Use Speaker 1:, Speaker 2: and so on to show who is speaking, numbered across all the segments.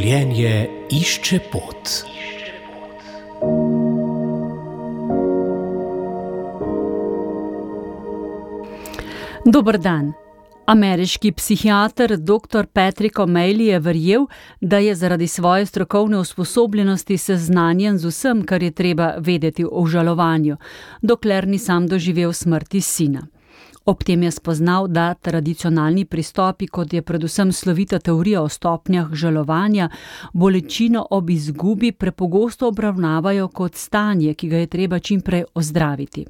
Speaker 1: Življenje išče pot.
Speaker 2: Dober dan. Ameriški psihiater dr. Patrick O'Malley je verjel, da je zaradi svoje strokovne usposobljenosti seznanjen z vsem, kar je treba vedeti o žalovanju, dokler ni sam doživel smrti sina. Ob tem je spoznal, da tradicionalni pristopi, kot je predvsem slovita teorija o stopnjah žalovanja, bolečino ob izgubi prepogosto obravnavajo kot stanje, ki ga je treba čimprej ozdraviti.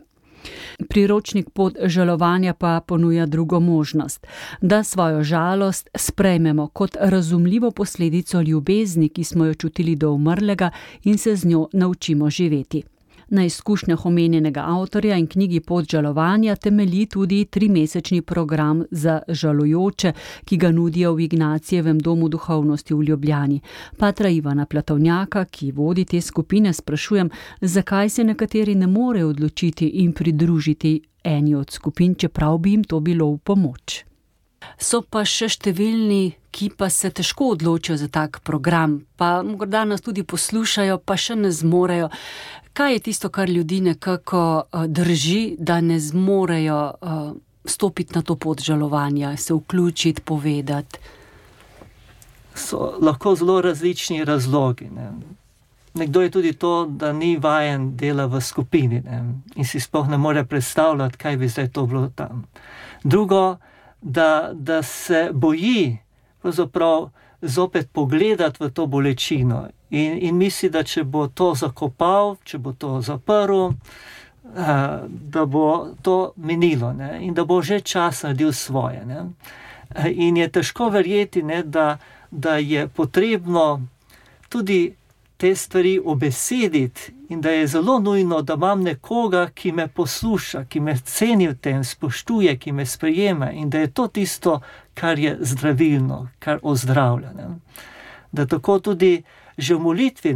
Speaker 2: Priročnik Pot žalovanja pa ponuja drugo možnost, da svojo žalost sprejmemo kot razumljivo posledico ljubezni, ki smo jo čutili do umrlega in se z njo naučimo živeti. Na izkušnjah omenjenega avtorja in knjigi Pot žalovanja temelji tudi 3-mesečni program za žalujoče, ki ga nudijo v Ignacijevem domu duhovnosti v Ljubljani. Patra Ivana Platovnjaka, ki vodi te skupine, sprašujem, zakaj se nekateri ne morejo odločiti in pridružiti eni od skupin, čeprav bi jim to bilo v pomoč. So pa še številni, ki pa se težko odločijo za tak program, pa morda nas tudi poslušajo, pa še ne zmorejo. Kaj je tisto, kar ljudi nekako drži, da ne zmorejo stopiti na to pot žalovanja, se vključiti, povedati?
Speaker 3: So lahko zelo različni razlogi. Nekdo je tudi to, da ni vajen dela v skupini in si sploh ne more predstavljati, kaj bi zdaj to bilo tam. Drugo, da se boji pravzaprav zopet pogledati v to bolečino in misli, da če bo to zakopal, če bo to zaprl, da bo to minilo in da bo že čas naredil svoje. In je težko verjeti, da je potrebno tudi te stvari obesediti in da je zelo nujno, da imam nekoga, ki me posluša, ki me ceni v tem, spoštuje, ki me sprejema in da je to tisto, kar je zdravilno, kar ozdravlja. Da tako tudi že v molitvi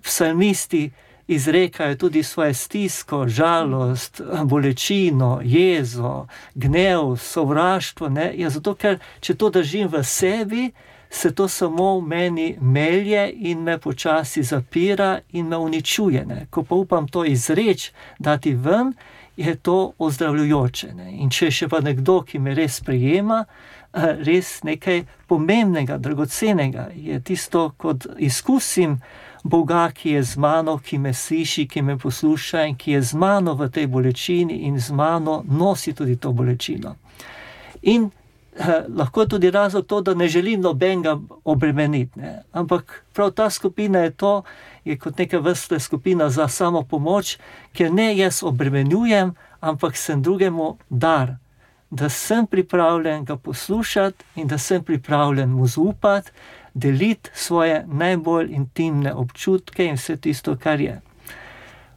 Speaker 3: psalmisti izrekajo tudi svoje stisko, žalost, bolečino, jezo, gnev, sovraštvo. Zato, ker če to držim v sebi, se to samo v meni melje in me počasi zapira in me uničuje. Ko pa upam to izreči, dati ven, je to ozdravljujoče. In če še pa nekdo, ki me res sprejema, res nekaj pomembnega, dragocenega, je tisto, kot izkusim Boga, ki je z mano, ki me sliši, ki me posluša in ki je z mano v tej bolečini in z mano nosi tudi to bolečino. In lahko je tudi razlog to, da ne želim nobenega obremeniti. Ampak prav ta skupina je kot neka vrsta skupina za samopomoč, ker ne jaz obremenjujem, ampak sem drugemu dar, da sem pripravljen ga poslušati in da sem pripravljen mu zaupati, deliti svoje najbolj intimne občutke in vse tisto, kar je.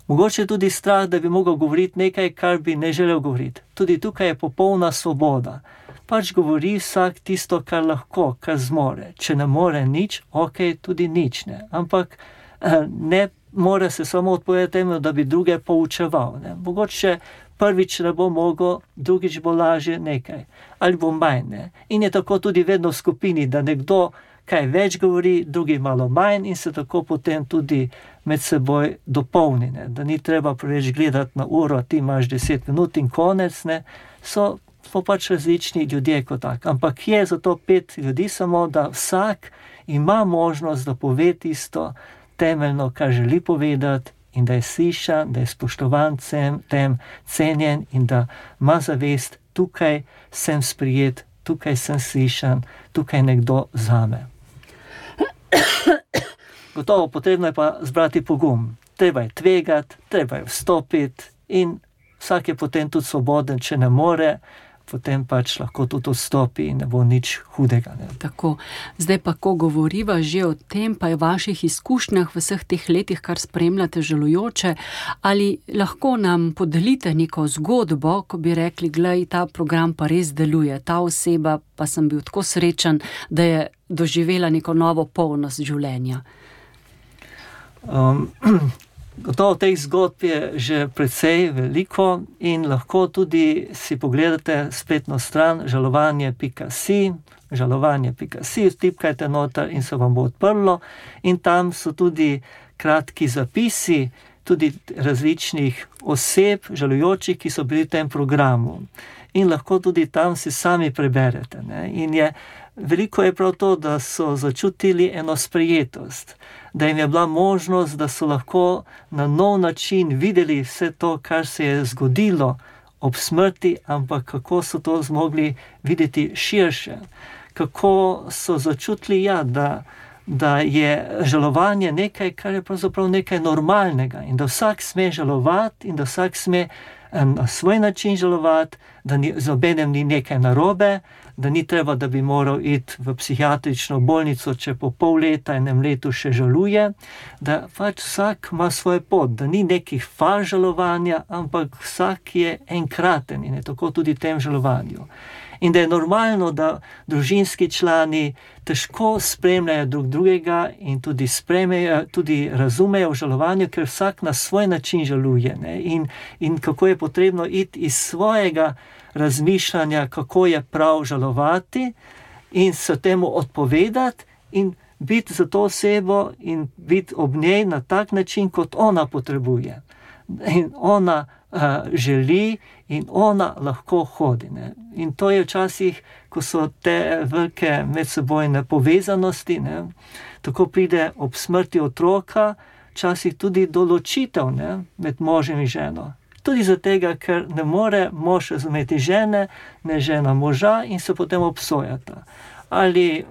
Speaker 3: Mogoče tudi strah, da bi mogel govoriti nekaj, kar bi ne želel govoriti. Tudi tukaj je popolna svoboda. Pač govori vsak tisto, kar lahko, kar zmore. Če ne more nič, tudi nič. Ampak ne more se samo odpovedati temu, da bi druge poučeval. Mogoče prvič ne bo mogel, drugič bo lažje nekaj. Ali bo manj. In je tako tudi vedno v skupini, da nekdo kaj več govori, drugi malo manj in se tako potem tudi med seboj dopolni. Da ni treba preveč gledati na uro, ti imaš 10 minut in konec. Smo pač različni ljudje kot tak. Ampak je zato 5 ljudi samo, da vsak ima možnost, da pove tisto temeljno, kar želi povedati in da je slišan, da je spoštovan tem, cenjen in da ima zavest, tukaj sem sprijet, tukaj sem slišan, tukaj nekdo zame. Gotovo potrebno je pa zbrati pogum. Treba je tvegati, treba je vstopiti in vsak je potem tudi svoboden, če ne more, potem pač lahko tudi odstopi in ne bo nič hudega.
Speaker 2: Tako, zdaj pa, ko govoriva že o tem, pa je v vaših izkušnjah v vseh teh letih, kar spremljate žalujoče, ali lahko nam podelite neko zgodbo, ko bi rekli, glej, ta program pa res deluje, ta oseba pa sem bil tako srečen, da je doživela neko novo polnost življenja.
Speaker 3: Gotovo teh zgodb je že precej veliko in lahko tudi si pogledate spletno stran žalovanje.si, vtipkajte noter in se vam bo odprlo in tam so tudi kratki zapisi, tudi različnih oseb, žalujočih, ki so bili v tem programu. In lahko tudi tam si sami preberete. Ne? In veliko je prav to, da so začutili eno sprejetost, da jim je bila možnost, da so lahko na nov način videli vse to, kar se je zgodilo ob smrti, ampak kako so to zmogli videti širše. Kako so začutili, da je žalovanje nekaj, kar je pravzaprav nekaj normalnega in da vsak sme žalovati in da vsak sme na svoj način žalovati, da z nobenem ni nekaj narobe, da ni treba, da bi moral iti v psihiatrično bolnico, če po pol leta, enem letu še žaluje, da pač vsak ima svoj pot, da ni nekih faz žalovanja, ampak vsak je enkraten in je tako tudi v tem žalovanju. In da je normalno, da družinski člani težko spremljajo drug drugega in tudi razumejo v žalovanju, ker vsak na svoj način žaluje. Ne? In kako je potrebno iti iz svojega razmišljanja, kako je prav žalovati in se temu odpovedati in biti za to osebo in biti ob njej na tak način, kot ona potrebuje. In ona želi in ona lahko hodi. Ne? In to je včasih, ko so te velike medsebojne povezanosti, ne? Tako pride ob smrti otroka, včasih tudi do ločitev, ne? Med možem in ženo. Tudi zato, ker ne more mož razumeti žene, ne žena moža in se potem obsojata. Ali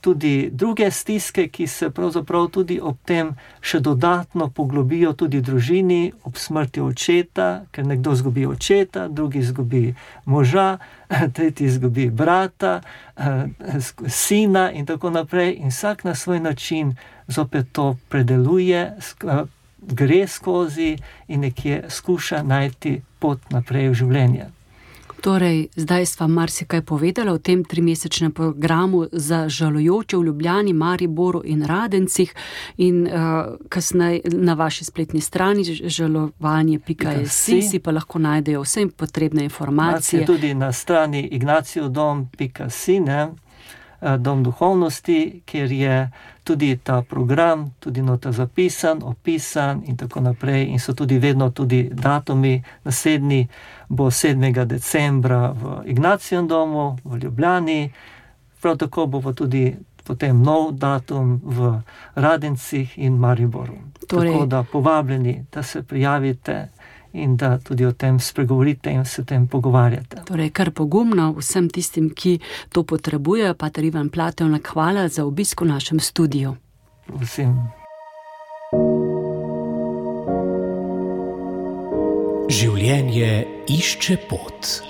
Speaker 3: tudi druge stiske, ki se pravzaprav tudi ob tem še dodatno poglobijo tudi v družini, ob smrti očeta, ker nekdo izgubi očeta, drugi izgubi moža, tretji izgubi brata, sina in tako naprej. In vsak na svoj način zopet to predeluje, gre skozi in nekje skuša najti pot naprej v življenje.
Speaker 2: Torej, zdaj sva marsikaj povedala o tem 3-mesečnem programu za žalujoče v Ljubljani, Mariboru in Radencih in kasneje na vaši spletni strani žalovanje.si si pa lahko najdejo vse potrebne informacije.
Speaker 3: Tudi na strani ignacijevodom.si, Dom duhovnosti, kjer je tudi ta program, tudi nota zapisan, opisan in tako naprej. In so tudi vedno tudi datumi. Naslednji bo 7. decembra v Ignacijevem domu v Ljubljani. Prav tako bo tudi potem nov datum v Radencih in Mariboru. Tako da povabljeni, da se prijavite in da tudi o tem spregovorite in se o tem pogovarjate.
Speaker 2: Torej, kar pogumno vsem tistim, ki to potrebujejo. Pater Ivan Platevnik, hvala za obisk v našem studiu.
Speaker 3: Prosim.
Speaker 1: Življenje išče pot.